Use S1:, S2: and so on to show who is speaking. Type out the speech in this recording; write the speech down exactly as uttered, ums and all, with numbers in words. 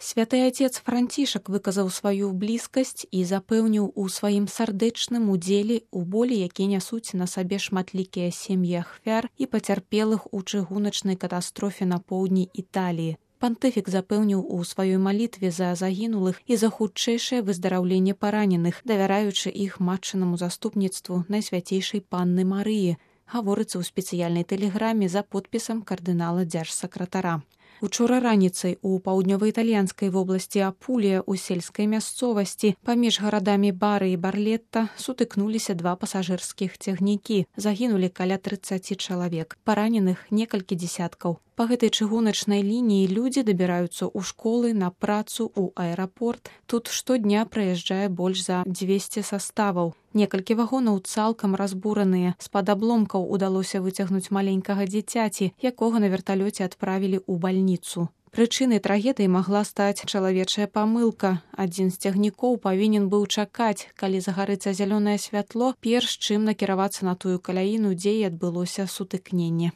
S1: Святы Отец Францішак выказаў сваю блізкасць і запэўніў у сваім сардэчным удзеле ў болі, які нясуць на сабе шматлікія сем'і ахвяр і пацярпелых у чыгуначнай катастрофе на поўдні Італіі. Пантыфік запэўніў у сваёй малітве за загінулых і за хутчэйшае выздараўленне параненых, давяраючы іх матчынаму заступніцтву Найсвяцейшай Панны Марыі, гаворыцца ў спецыяльнай тэлеграме за подпісам кардынала дзяржсакратара. Учора раніцай у паўднёва-італьянскай вобласці Апулія ў сельскай мясцовасці паміж гарадамі Бары і Барлетта сутыкнуліся два пасажырскіх цягнікі. Загінулі каля трыццаці чалавек, параненых некалькі дзесяткаў. Па гэтай чыгуначнай лініі людзі дабіраюцца ў школы, на працу, у аэрапорт. Тут штодня праязджае больш за дзвесце саставаў. Некалькі вагонаў цалкам разбураныя. З-пад абломкаў удалося выцягнуць маленькага дзіцяці, якога на верталёце адправілі ў бальніцу. Прычынай трагедыі магла стаць чалавечая памылка. Адзін з цягнікоў павінен быў чакаць, калі загарыцца зялёнае святло, перш чым накіравацца на тую каляіну, дзе і адбылося сутыкненне.